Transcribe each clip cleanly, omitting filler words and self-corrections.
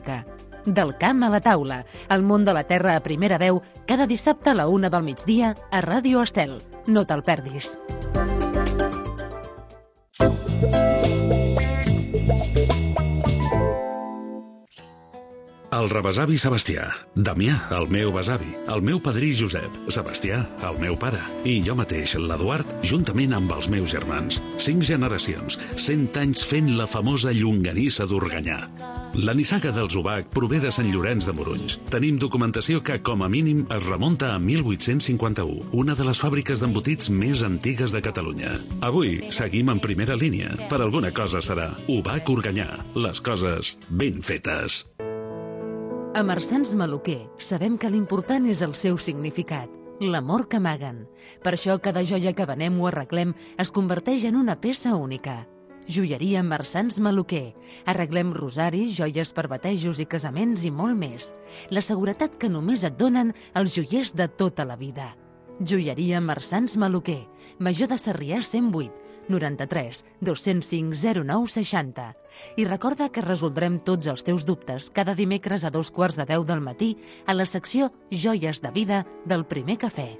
ecològica. Del camp a la taula, el món de la terra a primera veu, cada dissabte a la 1 del migdia a Ràdio Estel. No te'l perdis. El rebesavi Sebastià, Damià, el meu besavi, el meu padrí Josep, Sebastià, el meu pare, i jo mateix, l'Eduard, juntament amb els meus germans. 5 generacions, 100 anys fent la famosa llonganissa d'Organyà. La nissaga dels Ubac prové de Sant Llorenç de Morunys. Tenim documentació que, com a mínim, es remunta a 1851, una de les fàbriques d'embotits més antigues de Catalunya. Avui seguim en primera línia. Per alguna cosa serà Ubac Organyà. Les coses ben fetes. A Marsans Maluquer sabem que l'important és el seu significat, l'amor que amaguen. Per això cada joia que venem o arreglem es converteix en una peça única. Joieria Marsans Maluquer. Arreglem rosaris, joies per batejos i casaments i molt més. La seguretat que només et donen els joiers de tota la vida. Joieria Marsans Maluquer. Major de Sarrià 108, 93 205 09 60. I recorda que resoldrem tots els teus dubtes cada dimecres a 2:15 del matí a la secció Joies de Vida del Primer Cafè.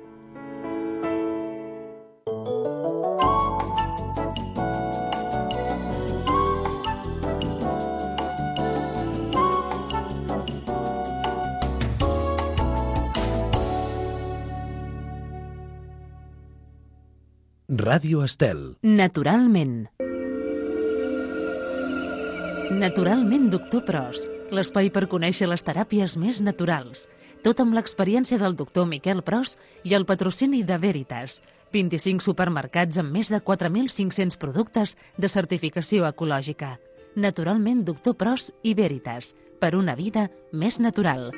Ràdio Estel. Naturalment. Naturalment, doctor Pros, l'espai per conèixer les teràpies més naturals. Tot amb l'experiència del doctor Miquel Pros i el patrocini de Veritas. 25 supermercats amb més de 4.500 productes de certificació ecològica. Naturalment, doctor Pros i Veritas. Per una vida més natural.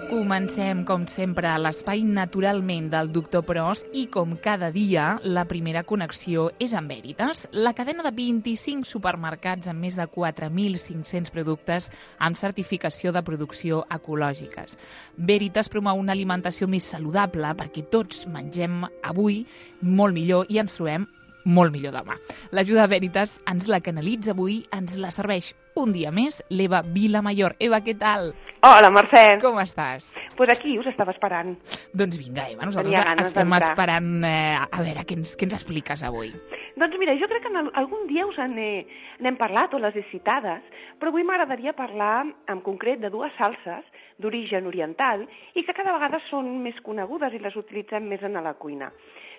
Comencem, com sempre, a l'espai Naturalment del Doctor Pros i, com cada dia, la primera connexió és amb Veritas, la cadena de 25 supermercats amb més de 4.500 productes amb certificació de producció ecològiques. Veritas promou una alimentació més saludable perquè tots mengem avui molt millor i ens trobem molt millor demà. L'ajuda de Veritas ens la canalitza avui, ens la serveix un dia més l'Eva Vilamayor. Eva, què tal? Hola, Mercè. Com estàs? Pues aquí us estava esperant. Doncs vinga, Eva, nosaltres estem esperant a veure què ens expliques avui. Doncs mira, jo crec que algun dia us n'hem parlat o les he citades, però avui m'agradaria parlar en concret de dues salses d'origen oriental i que cada vegada són més conegudes i les utilitzem més en la cuina.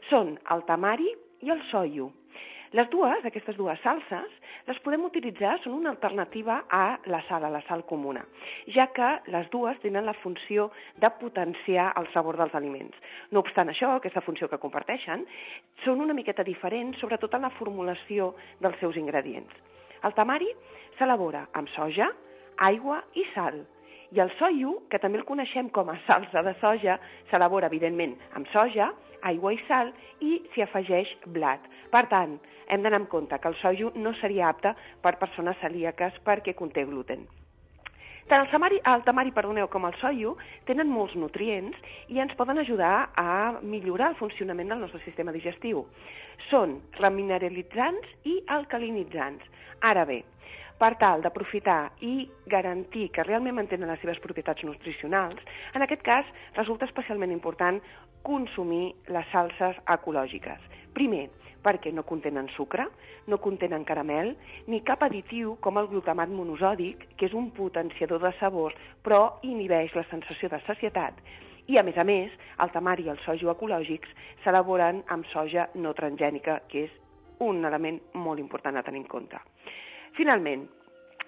Són el tamari i el soio. Aquestes dues salses, les podem utilitzar, són una alternativa a la sal comuna, ja que les dues tenen la funció de potenciar el sabor dels aliments. No obstant això, aquesta funció que comparteixen, són una miqueta diferents, sobretot en la formulació dels seus ingredients. El tamari s'elabora amb soja, aigua i sal. I el soio, que també el coneixem com a salsa de soja, s'elabora, evidentment, amb soja, aigua i sal i s'hi afegeix blat. Per tant, hem d'anar amb compte que el soio no seria apte per persones celíaques perquè conté gluten. Tant el tamari com el soio tenen molts nutrients i ens poden ajudar a millorar el funcionament del nostre sistema digestiu. Són remineralitzants i alcalinitzants. Ara bé, per tal d'aprofitar i garantir que realment mantenen les seves propietats nutricionals, en aquest cas resulta especialment important consumir les salses ecològiques. Primer, perquè no contenen sucre, no contenen caramel, ni cap additiu com el glutamat monosòdic, que és un potenciador de sabors, però inhibeix la sensació de sacietat. I, a més, el tamari i el soio ecològics s'elaboren amb soja no transgènica, que és un element molt important a tenir en compte. Finalment,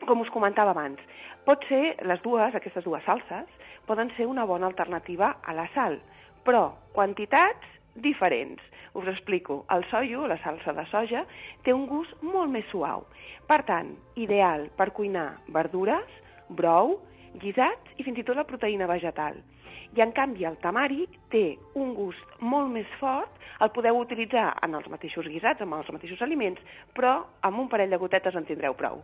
com us comentava abans, aquestes dues salses poden ser una bona alternativa a la sal, però quantitats diferents. Us explico. El soio, la salsa de soja, té un gust molt més suau. Per tant, ideal per cuinar verdures, brou, guisats i fins i tot la proteïna vegetal. I en canvi el tamari té un gust molt més fort, el podeu utilitzar en els mateixos guisats, amb els mateixos aliments, però amb un parell de gotetes en tindreu prou.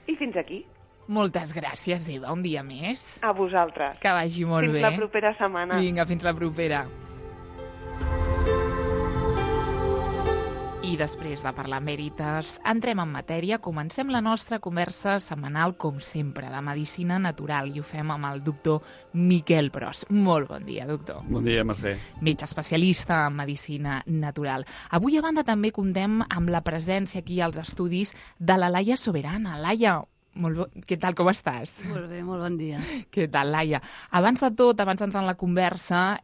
I fins aquí. Moltes gràcies, Eva, un dia més. A vosaltres. Que vagi molt bé. Fins la propera setmana. Vinga, fins la propera. després de parlar amb Veritas, entrem en matèria. Comencem la nostra conversa setmanal, com sempre, de medicina natural, i ho fem amb el doctor Miquel Pros. Molt bon dia, doctor. Bon dia, Mercè. Metge especialista en medicina natural. Avui, a banda, també comptem amb la presència aquí als estudis de la Laia Soberana. Laia, què tal, com estàs? Molt bé, molt bon dia. Què tal, Laia? Abans de tot, abans d'entrar en la conversa,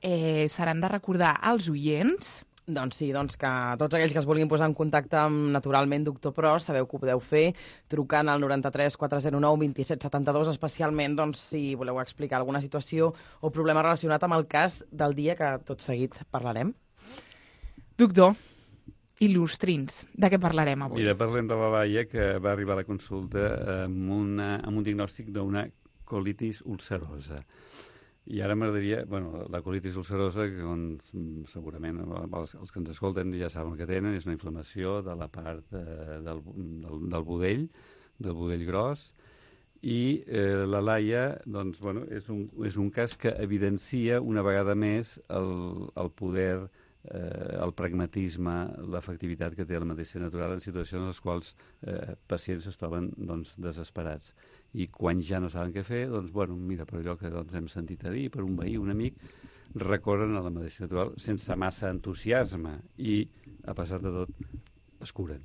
seran de recordar als oients... Doncs sí, que tots aquells que es vulguin posar en contacte amb Naturalment Doctor Pros, sabeu que ho podeu fer trucant al 93 409 27 72, especialment si voleu explicar alguna situació o problema relacionat amb el cas del dia que tot seguit parlarem. Doctor, il·lustri'ns, de què parlarem avui? Mira, parlem de la Laia, que va arribar a la consulta amb un diagnòstic d'una colitis ulcerosa. I ara m'agradaria, la colitis ulcerosa, que segurament els que ens escolten ja saben el que tenen, és una inflamació de la part del budell gros, i la Laia, és un cas que evidencia una vegada més el poder, el pragmatisme, l'efectivitat que té la medicina natural en situacions en les quals pacients es troben desesperats. I quan ja no saben què fer, mira, per allò que hem sentit a dir, per un veí, un amic, recorren a la medicina natural sense massa entusiasme i, a pesar de tot, es curen.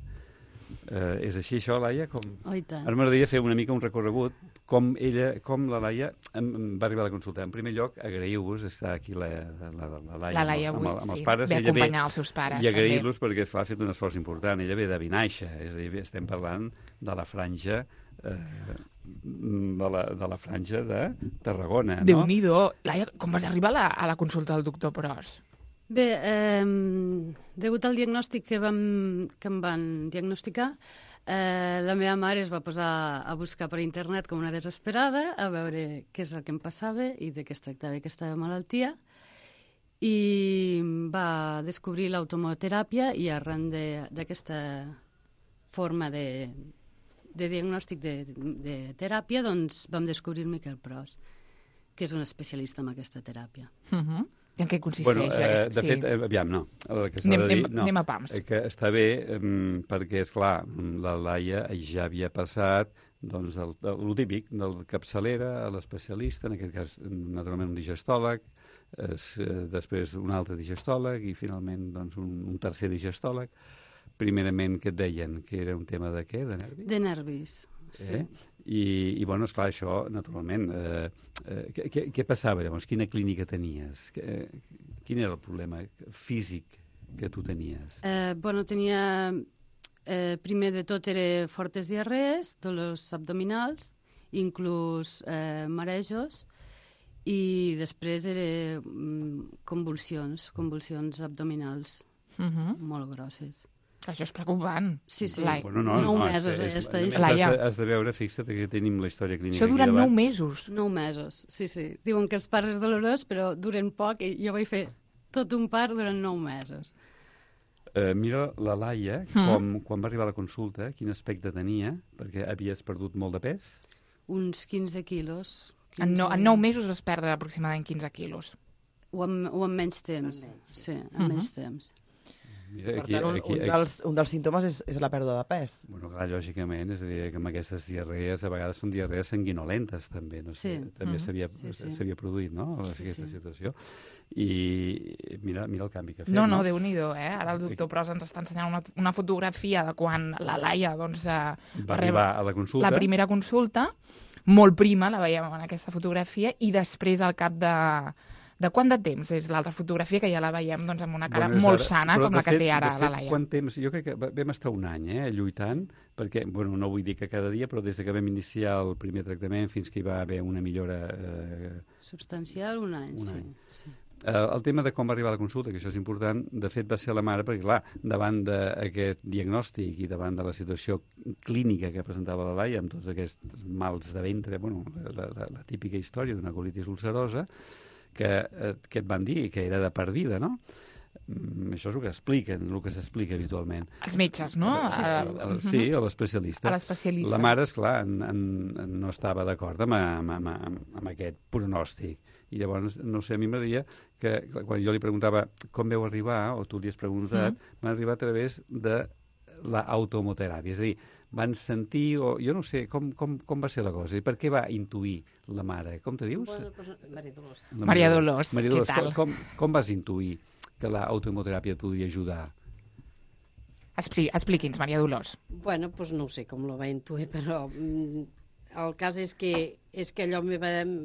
És així això, Laia? Oh, i tant. Ara m'agradaria fer una mica un recorregut com la Laia va arribar a la consulta. En primer lloc, agraïu-vos estar aquí la Laia avui, amb els pares. Ve acompanyar els seus pares. I agrair-los perquè, esclar, ha fet un esforç important. Ella ve de Vinaixa, és a dir, estem parlant de la franja de la franja de Tarragona, no? Déu-n'hi-do. Laia, com vas arribar a la consulta del doctor Pros? Bé, degut al diagnòstic que em van diagnosticar, la meva mare es va posar a buscar per internet com una desesperada a veure què és el que em passava i de què es tractava aquesta malaltia, i va descobrir l'automoteràpia, i arran d'aquesta forma de diagnòstic de teràpia, vam descobrir Miquel Pros, que és un especialista en aquesta teràpia. I en què consisteix? De fet, aviam, no. Anem a pams. Que està bé, perquè, esclar, la Laia ja havia passat el típic, del capçalera a l'especialista, en aquest cas, naturalment, un digestòleg, després un altre digestòleg i, finalment, un tercer digestòleg. Primerament, què et deien? Que era un tema de què? De nervis? De nervis, sí. I esclar, això, naturalment, què passava llavors? Quina clínica tenies? Quin era el problema físic que tu tenies? Tenia, primer de tot, era fortes diarrees, dolors abdominals, inclús marejos, i després era convulsions abdominals molt grosses. Això és preocupant. Sí. Laia. 9 mesos. Has de veure, fixa't, que tenim la història clínica. Això dura 9 mesos. 9 mesos, sí. Diuen que els parts és dolorós, però duren poc, i jo vaig fer tot un part durant 9 mesos. Mira la Laia, quan va arribar a la consulta, quin aspecte tenia, perquè havies perdut molt de pes? Uns 15 quilos. En 9 mesos vas perdre aproximadament 15 quilos. O en menys temps. Sí, en menys temps. Mira, un dels símptomes és la pèrdua de pes. Clar, lògicament, és a dir, que amb aquestes diarrees, a vegades són diarrees sanguinolentes, també, no sé, també s'havia produït, no?, aquesta situació. I mira el canvi que ha fet. No, Déu-n'hi-do, Ara el doctor Pros ens està ensenyant una fotografia de quan la Laia, va arribar a la consulta. La primera consulta, molt prima, la veiem en aquesta fotografia, i després, al cap de quant de temps és l'altra fotografia, que ja la veiem amb una cara molt sana, com la que té ara la Laia? Quant temps? Jo crec que vam estar un any lluitant, perquè, no vull dir que cada dia, però des que vam iniciar el primer tractament fins que hi va haver una millora... substancial, un any, sí. El tema de com va arribar a la consulta, que això és important, de fet va ser la mare, perquè, clar, davant d'aquest diagnòstic i davant de la situació clínica que presentava la Laia, amb tots aquests mals de ventre, la típica història d'una colitis ulcerosa, que et van dir que era de per vida, no? Això és el que expliquen, el que s'explica habitualment. Els metges, no? Sí, a l'especialista. A l'especialista. La mare, esclar, no estava d'acord amb aquest pronòstic. I llavors, no sé, a mi m'agradaria que quan jo li preguntava com veu arribar, o tu li has preguntat, m'ha arribat a través de l'automoteràpia? És a dir, van sentir, o jo no sé, com va ser la cosa? I per què va intuir la mare? Com te dius? Bueno, pues, Maria Dolors. Maria Dolors, Maria què Dolors, tal? com vas intuir que l'automoteràpia et podria ajudar? Expliqui'ns, Maria Dolors. Bueno, pues no ho sé com lo va intuir, però el cas és que allò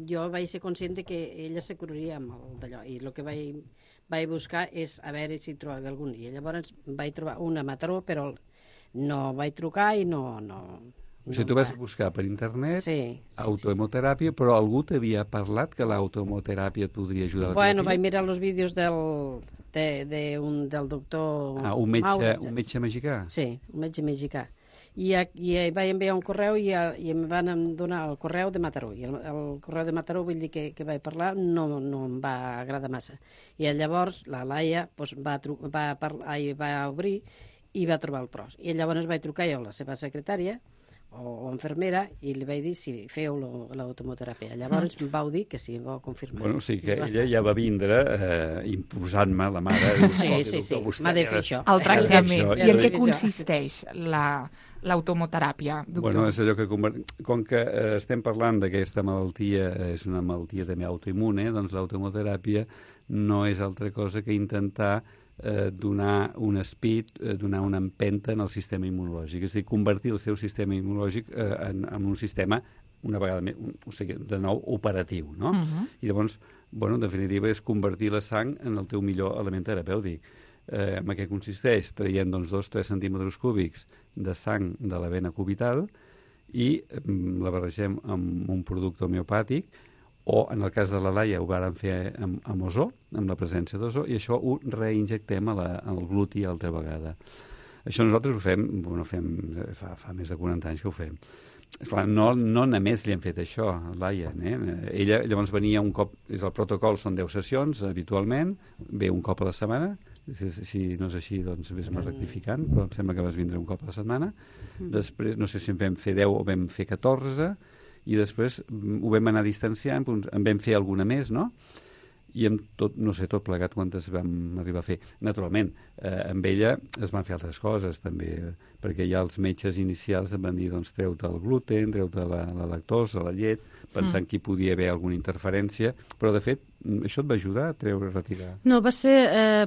jo vaig ser conscient de que ella se curaria amb d'allò, i el que vaig buscar és a veure si trobava algun. I llavors vaig trobar una a Mataró, però no vaig trucar i no O sigui, tu vas buscar per internet sí. autohemoteràpia, però algú t'havia parlat que l'autohemoteràpia et podria ajudar a la teva Bueno, filla? vaig mirar els vídeos del doctor un Maurits. metge mexicà? Sí, un metge mexicà. I vaig enviar un correu i em van donar el correu de Mataró. I el correu de Mataró, vull dir que vaig parlar, no em va agradar massa. I llavors la Laia pues, va obrir i va trobar el PROS. I llavors vaig trucar jo a la seva secretària o infermera i li vaig dir si feu l'automoteràpia. Llavors em vau dir que sí, em vau confirmar. Bueno, o sigui que ella ja va vindre imposant-me la mare. Sí, m'ha de fer això. El tractament. I en què això. consisteix l'automoteràpia, doctor? Bueno, és allò que com que estem parlant d'aquesta malaltia, és una malaltia també autoimmune, doncs l'automoteràpia no és altra cosa que intentar donar un speed, donar una empenta en el sistema immunològic, és a dir, convertir el seu sistema immunològic en un sistema, una vegada més, o sigui, de nou, operatiu, no? I llavors, bueno, en definitiva, és convertir la sang en el teu millor element terapèutic. En què consisteix? Traient, doncs, 2-3 centímetres cúbics de sang de la vena cubital i la barregem amb un producte homeopàtic, o en el cas de la Laia ho vàrem fer amb ozó, amb la presència d'ozó, i això ho reinjectem al gluti altra vegada. Això nosaltres ho fem, fa més de 40 anys que ho fem. Esclar, no només li hem fet això, a Laia. Ella llavors venia un cop, el protocol són 10 sessions habitualment, ve un cop a la setmana, si no és així, doncs vés-me rectificant, però em sembla que vas vindre un cop a la setmana. Després, no sé si en vam fer 10 o vam fer 14, i després ho vam anar distanciant, en vam fer alguna més, no? I amb tot, no sé, tot plegat quantes vam arribar a fer. Naturalment, amb ella es van fer altres coses, també, perquè ja els metges inicials em van dir, doncs, treu-te el gluten, treu-te la lactosa, la llet, pensant que hi podia haver alguna interferència, però, de fet, això et va ajudar a retirar? No, va ser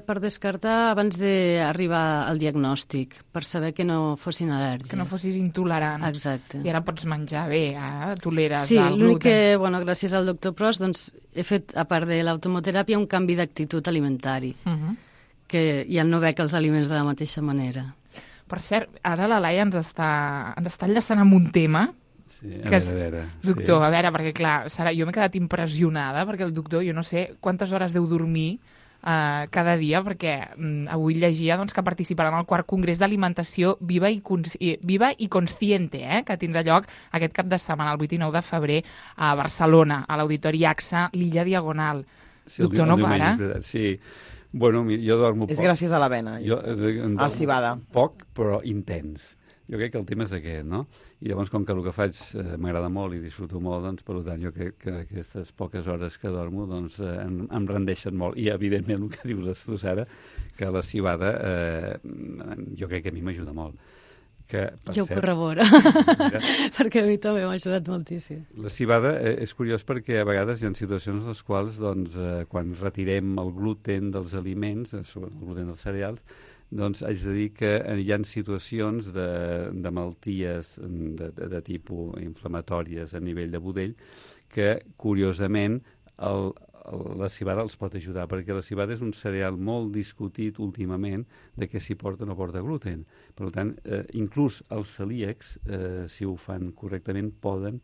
per descartar abans d'arribar al diagnòstic, per saber que no fossin al·lèrgics. Que no fossis intolerant. Exacte. I ara pots menjar bé, toleres sí, el gluten. L'únic que, bueno, gràcies al doctor Pros, doncs, he fet, a part de l'automoteràpia, un canvi d'actitud alimentari, que ja no veig els aliments de la mateixa manera. Per cert, ara la Laia ens està enllaçant amb un tema. Sí, a veure. Doctor, a veure, perquè clar, Sara, jo m'he quedat impressionada, perquè el doctor, jo no sé quantes hores deu dormir cada dia, perquè avui llegia doncs, que participarà en el 4è Congrés d'Alimentació Viva i Consciente, que tindrà lloc aquest cap de setmana, el 8 i 9 de febrer, a Barcelona, a l'Auditori AXA, l'Illa Diagonal. Sí, doctor, no para? Sí. Bueno, jo dormo poc. És gràcies a l'avena, al cibada. Poc, però intens. Jo crec que el tema és aquest, no? I llavors, com que el que faig m'agrada molt i disfruto molt, doncs, per tant, jo crec que aquestes poques hores que dormo doncs, em rendeixen molt. I, evidentment, el que dius tu, Sara, que la cibada jo crec que a mi m'ajuda molt. Jo ho corroboro, perquè a mi també m'ha ajudat moltíssim. La cibada és curiós perquè a vegades hi ha situacions en les quals, doncs, quan retirem el gluten dels aliments, el gluten dels cereals, doncs haig de dir que hi ha situacions de malalties de tipus inflamatòries a nivell de budell que, curiosament, la cibada els pot ajudar, perquè la cibada és un cereal molt discutit últimament de què s'hi porta o no porta gluten. Per tant, inclús els celíacs, si ho fan correctament, poden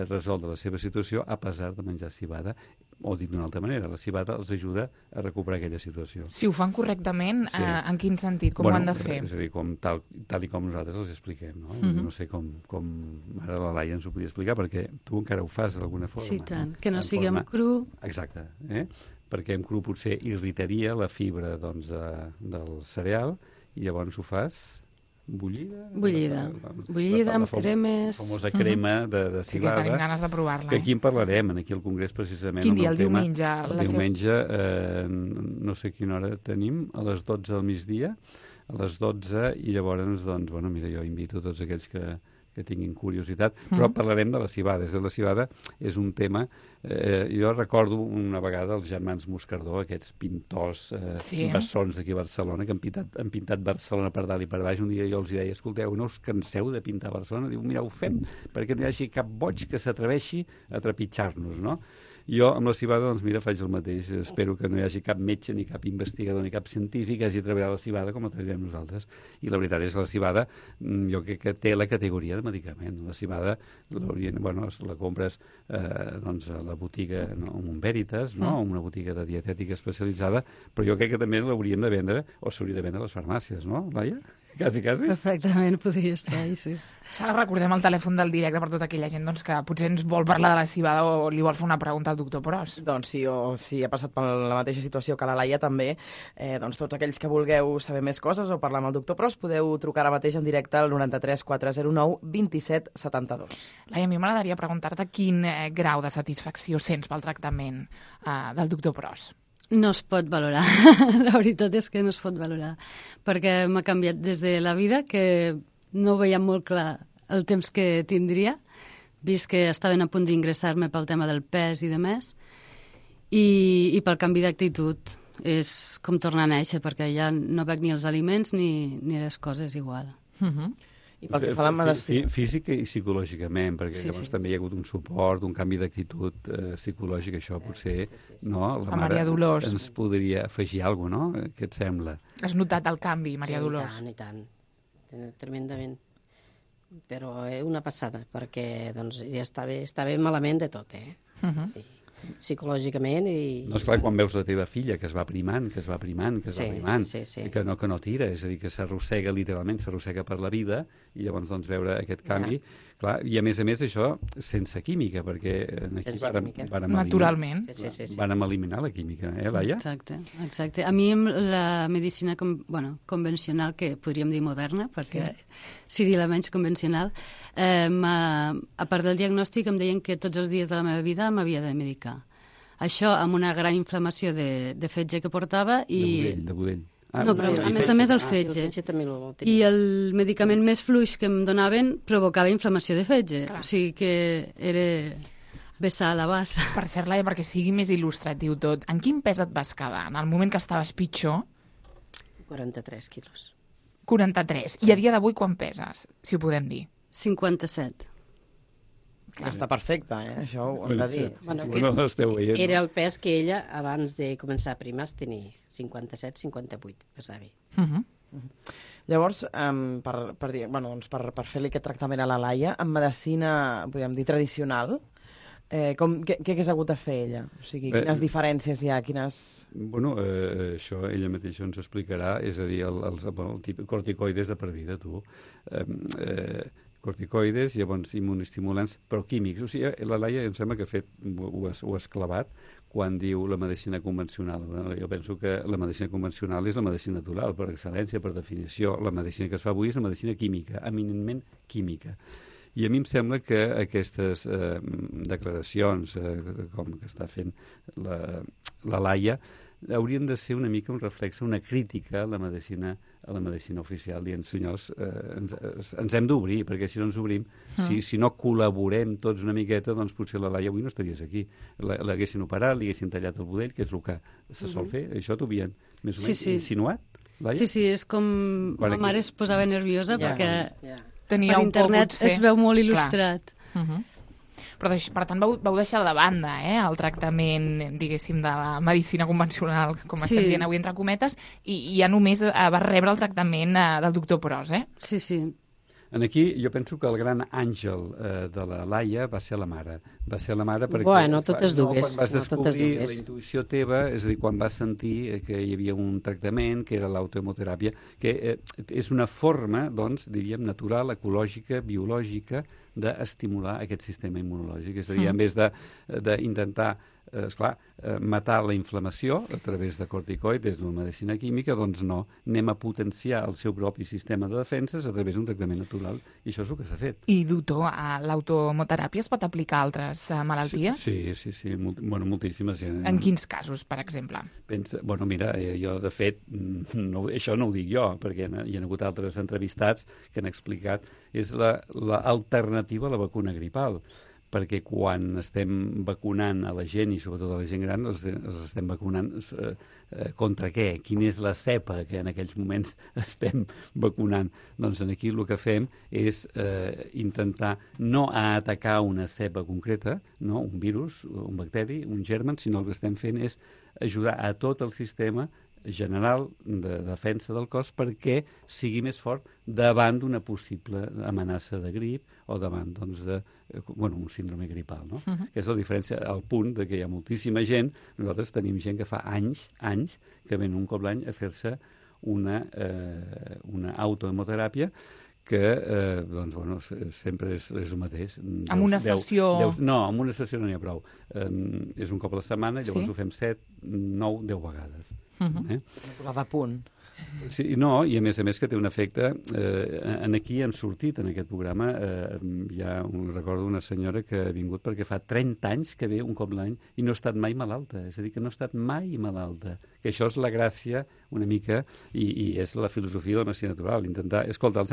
resoldre la seva situació a pesar de menjar cibada. O dit d'una altra manera, la cibada els ajuda a recuperar aquella situació. Si ho fan correctament, sí. En quin sentit? Com ho han de fer? És a dir, tal i com nosaltres els expliquem, no? No sé com ara la Laia ens ho podia explicar, perquè tu encara ho fas d'alguna forma. Sí, tant. Que no sigui amb cru. Exacte. Perquè amb cru potser irritaria la fibra doncs, del cereal i llavors ho fas bullida, amb cremes. La famosa crema de cibada. Sí, que tenim ganes de provar-la. Que aquí en parlarem, aquí al Congrés, precisament. Quin dia? El diumenge? El diumenge, no sé quina hora tenim, a les 12 del migdia, a les 12 i llavors, doncs, bueno, mira, jo invito tots aquells que tinguin curiositat, però parlarem de la cibada. La cibada és un tema... jo recordo una vegada els germans Moscardó, aquests pintors bessons d'aquí a Barcelona, que han pintat Barcelona per dalt i per baix. Un dia jo els deia, escolteu, no us canseu de pintar Barcelona? Diu, mira, ho fem perquè no hi hagi cap boig que s'atreveixi a trepitjar-nos, no? Jo, amb la cibada, doncs mira, faig el mateix. Espero que no hi hagi cap metge, ni cap investigador, ni cap científic que hagi treballat la cibada com la treballem nosaltres. I la veritat és que la cibada, jo crec que té la categoria de medicament. La cibada, la compres doncs, a la botiga, no, un Veritas, no? Una botiga de dietètica especialitzada, però jo crec que també l'hauríem de vendre, o s'hauria de vendre a les farmàcies, no, Laia? Quasi. Perfectament, podria estar ahí, sí. Ara recordem el telèfon del directe per tota aquella gent que potser ens vol parlar de la cibada o li vol fer una pregunta al doctor Pros. Doncs sí, o si ha passat per la mateixa situació que la Laia també, doncs tots aquells que vulgueu saber més coses o parlar amb el doctor Pros podeu trucar ara mateix en directe al 93 409 27 72. Laia, a mi m'agradaria preguntar-te quin grau de satisfacció sents pel tractament del doctor Pros. No es pot valorar, la veritat és que no es pot valorar, perquè m'ha canviat des de la vida, que no veia molt clar el temps que tindria, vist que estaven a punt d'ingressar-me pel tema del pes i de més, i pel canvi d'actitud. És com tornar a néixer, perquè ja no veig ni els aliments ni les coses igual. I pel que fa a la medicina... Físic i psicològicament, perquè llavors també hi ha hagut un suport, un canvi d'actitud psicològic, això potser, no? La Maria Dolors ens podria afegir alguna cosa, no? Què et sembla? Has notat el canvi, Maria Dolors? I tant, tremendament. Però és una passada, perquè doncs, ja estava malament de tot, psicològicament i... No, esclar, quan veus la teva filla que es va primant, que es va primant, sí. I que no tira, és a dir, que s'arrossega literalment, s'arrossega per la vida, i llavors doncs veure aquest canvi, clar, i a més això sense química, perquè aquí vàrem naturalment. Vàrem eliminar la química, Laia? Exacte. A mi la medicina convencional, que podríem dir moderna, perquè seria la menys convencional, a part del diagnòstic em deien que tots els dies de la meva vida m'havia de medicar. Això amb una gran inflamació de fetge que portava i... De budell. No, però a més el fetge. I el medicament més fluix que em donaven provocava inflamació de fetge. O sigui que era vessar a la bassa. Per cert, Laia, perquè sigui més il·lustratiu tot, en quin pes et vas quedar? En el moment que estaves pitjor? 43 quilos. 43. I a dia d'avui quan peses, si ho podem dir? 57. Està perfecte, això ho has de dir. Era el pes que ella, abans de començar a primar, tenia 57-58, pesava. Llavors, per fer-li aquest tractament a la Laia, en medicina, podríem dir, tradicional, què hagués hagut de fer ella? O sigui, quines diferències hi ha? Bueno, això ella mateixa ens explicarà, és a dir, el tipus corticoides de per vida, tu. Corticoides, llavors immunoestimulants, però químics. O sigui, la Laia em sembla que ho has clavat quan diu la medicina convencional. Jo penso que la medicina convencional és la medicina natural, per excel·lència, per definició. La medicina que es fa avui és la medicina química, eminentment química. I a mi em sembla que aquestes declaracions, com que està fent la Laia, haurien de ser una mica un reflex, una crítica a la medicina oficial, dient, senyors, ens hem d'obrir, perquè si no ens obrim, si no col·laborem tots una miqueta, doncs potser la Laia avui no estaries aquí. L'haguessin operat, li haguessin tallat el budell, que és el que se sol fer. Això t'ho havien més o menys insinuat, Laia? Sí, és com... La mare es posava nerviosa perquè per internet es veu molt il·lustrat. Però, per tant, vau deixar de banda el tractament, diguéssim, de la medicina convencional, com estem dient avui entre cometes, i ja només vas rebre el tractament del doctor Pros, Sí. Aquí jo penso que el gran àngel de la Laia va ser la mare. Va ser la mare perquè... Bueno, totes dues. Quan vas descobrir la intuïció teva, és a dir, quan vas sentir que hi havia un tractament, que era l'autohemoteràpia, que és una forma, doncs, diríem, natural, ecològica, biològica, d'estimular aquest sistema immunològic. És a dir, en vez d'intentar matar la inflamació a través de corticoides d'una medicina química, doncs no, anem a potenciar el seu propi sistema de defenses a través d'un tractament natural, i això és el que s'ha fet. I, doctor, l'automoteràpia es pot aplicar a altres malalties? Sí, moltíssimes. En quins casos, per exemple? Mira, jo, de fet, això no ho dic jo, perquè hi ha hagut altres entrevistats que han explicat, és l'alternativa a la vacuna gripal, perquè quan estem vacunant a la gent, i sobretot a la gent gran, els estem vacunant contra què? Quina és la cepa que en aquells moments estem vacunant? Doncs aquí el que fem és intentar no atacar una cepa concreta, no? Un virus, un bacteri, un germen, sinó el que estem fent és ajudar a tot el sistema general de defensa del cos perquè sigui més fort davant d'una possible amenaça de grip o davant un síndrome gripal, no? Que és la diferència, al punt de que hi ha moltíssima gent, nosaltres tenim gent que fa anys que ven un cop l'any a fer-se una autohemoteràpia que, sempre és el mateix. Amb una sessió... No, amb una sessió no n'hi ha prou. És un cop a la setmana, llavors ho fem 7, 9, 10 vegades. Una posada a punt. Sí, no, i a més que té un efecte... Aquí hem sortit, en aquest programa, recordo una senyora que ha vingut perquè fa 30 anys que ve un cop l'any i no ha estat mai malalta, és a dir, que no ha estat mai malalta. Que això és la gràcia, una mica, i és la filosofia de la medicina natural, intentar... Escolta,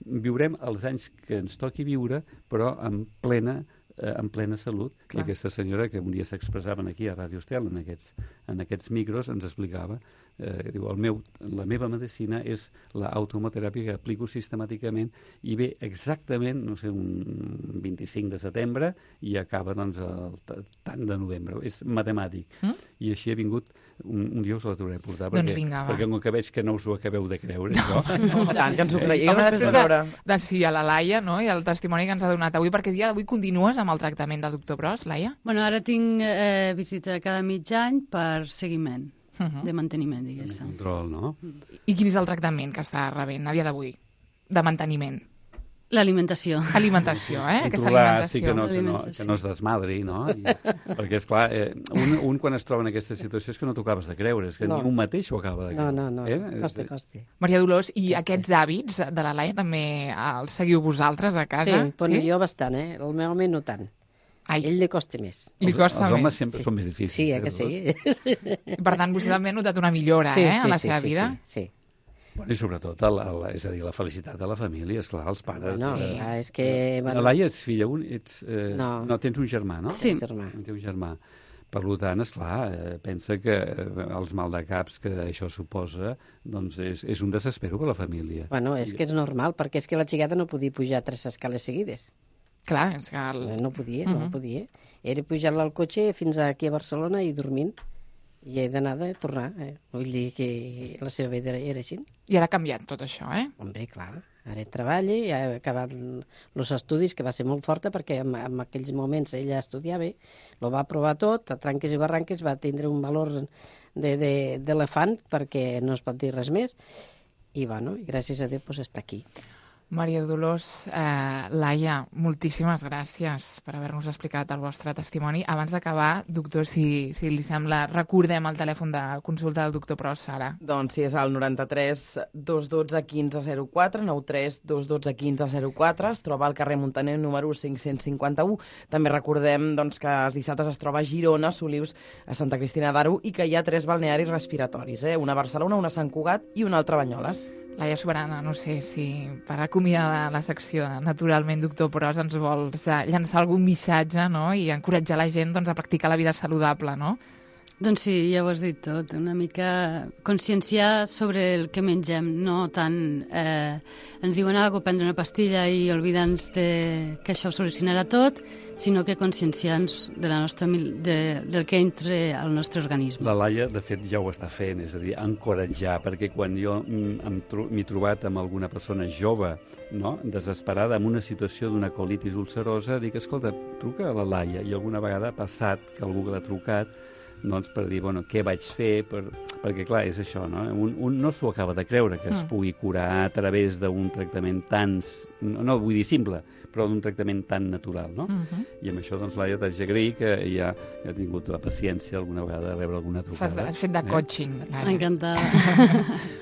viurem els anys que ens toqui viure, però en plena salut. Clar. I aquesta senyora, que un dia s'expressava aquí a Ràdio Estel, en aquests micros, ens explicava, diu, la meva medicina és l'automoteràpia que aplico sistemàticament i ve exactament, no sé, un 25 de setembre i acaba, doncs, tant de novembre. És matemàtic. I així ha vingut, un dia us la tornaré a portar, perquè com que veig que no us ho acabeu de creure, això. Tant, que ens ho creiem després de veure. Sí, a la Laia, no?, i el testimoni que ens ha donat avui, perquè el dia d'avui continues amb el tractament del doctor Pros, Laia? Bueno, ara tinc visita cada mig any per seguiment, de manteniment, diguéssim. Control, no? I quin és el tractament que està rebent a dia d'avui, de manteniment? L'alimentació. Alimentació, aquesta alimentació. Sí, que no es desmadri, no? Perquè, esclar, un quan es troba en aquesta situació és que no t'ho acabes de creure, és que ni un mateix ho acaba de creure. No, costi. Maria Dolors, i aquests hàbits de la Laia també els seguiu vosaltres a casa? Sí, jo bastant, el meu home no tant. Ai. Ell li costa més. Els homes sempre són més difícils. Sí, que sí. Per tant, vostè també ha notat una millora a la seva vida? Sí. I sobretot, és a dir, la felicitat de la família, esclar, els pares... No, és que... La Laia és filla única, no, tens un germà, no? Sí. Tens un germà. Per tant, esclar, pensa que els maldecaps que això suposa, doncs és un desespero per la família. Bueno, és que és normal, perquè és que la xicata no podia pujar 3 escales seguides. Clar, és que... No podia. Era pujar-la al cotxe fins aquí a Barcelona i dormint. I he d'anar a tornar. Vull dir que la seva vida era així. I ara ha canviat tot això, Hombre, clar. Ara treballa, ja ha acabat els estudis, que va ser molt forta, perquè en aquells moments ella estudiava, lo va provar tot, a tranques i barranques, va tindre un valor d'elefant, perquè no es pot dir res més, i bueno, gràcies a Déu pues, està aquí. Maria Dolors, Laia, moltíssimes gràcies per haver-nos explicat el vostre testimoni. Abans d'acabar, doctor, si li sembla, recordem el telèfon de consulta del doctor Pros, ara. Doncs sí, és el 93 212 1504, 93 212 1504, es troba al carrer Muntaner número 551. També recordem doncs, que els dissabtes es troba a Girona, Solius, a Santa Cristina d'Aro, i que hi ha 3 balnearis respiratoris, una a Barcelona, una a Sant Cugat i una altra a Banyoles. Laia Soberana, no sé si per acomiadar la secció, naturalment, doctor Pros, ens vols llançar algun missatge, no?, i encoratjar la gent doncs, a practicar la vida saludable, no? Doncs sí, ja ho has dit tot. Una mica conscienciar sobre el que mengem, no tant ens diuen alguna cosa, prendre una pastilla i oblidar-nos que això ho solucionarà tot, sinó que conscienciar-nos del que entra al nostre organisme. La Laia, de fet, ja ho està fent, és a dir, encoratjar, perquè quan jo m'he trobat amb alguna persona jove, no?, desesperada, en una situació d'una colitis ulcerosa, dic, escolta, truca a la Laia, i alguna vegada ha passat que algú que l'ha trucat doncs per dir, bueno, què vaig fer, perquè clar, és això, no? Un no s'ho acaba de creure, que es pugui curar a través d'un tractament tan, no vull dir simple, però d'un tractament tan natural, no? I amb això, doncs, Laia, t'haig d'agrair que ja he tingut la paciència alguna vegada de rebre alguna trucada. Has fet de coaching, Laia. Encantada.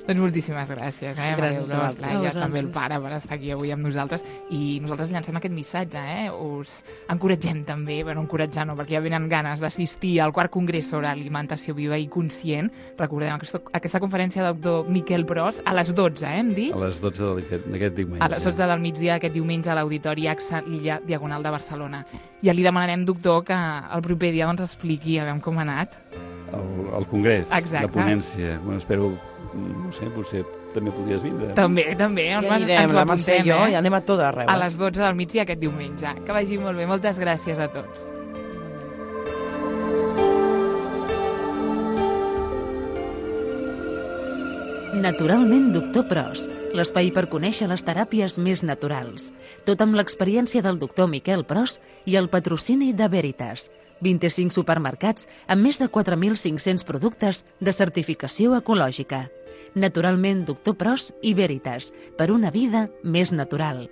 Doncs moltíssimes gràcies, Gràcies a vosaltres. Laia, també el pare, per estar aquí avui amb nosaltres. I nosaltres llancem aquest missatge, us encoratgem també, bueno, encoratjar no, perquè ja venen ganes d'assistir al 4 Congrés sobre alimentació viva i conscient. Recordem aquesta conferència del doctor Miquel Pros a les 12, hem dit? A les 12 d'aquest diumenge. A les 12 del migdia d'aquest diumenge a l'Auditori AXA Lilla Diagonal de Barcelona. Ja li demanarem, doctor, que el proper dia ens expliqui a veure com ha anat. El congrés, exacte. La ponència. Bueno, espero, no sé, potser també podries vindre. També. Ja anirem, la Mercè i jo, ja anem a tot arreu. A les 12 del migdia aquest diumenge. Que vagi molt bé. Moltes gràcies a tots. Naturalment, doctor Pros, l'espai per conèixer les teràpies més naturals. Tot amb l'experiència del doctor Miquel Pros i el patrocini de Veritas. 25 supermercats amb més de 4.500 productes de certificació ecològica. Naturalment, doctor Pros i Veritas, per una vida més natural.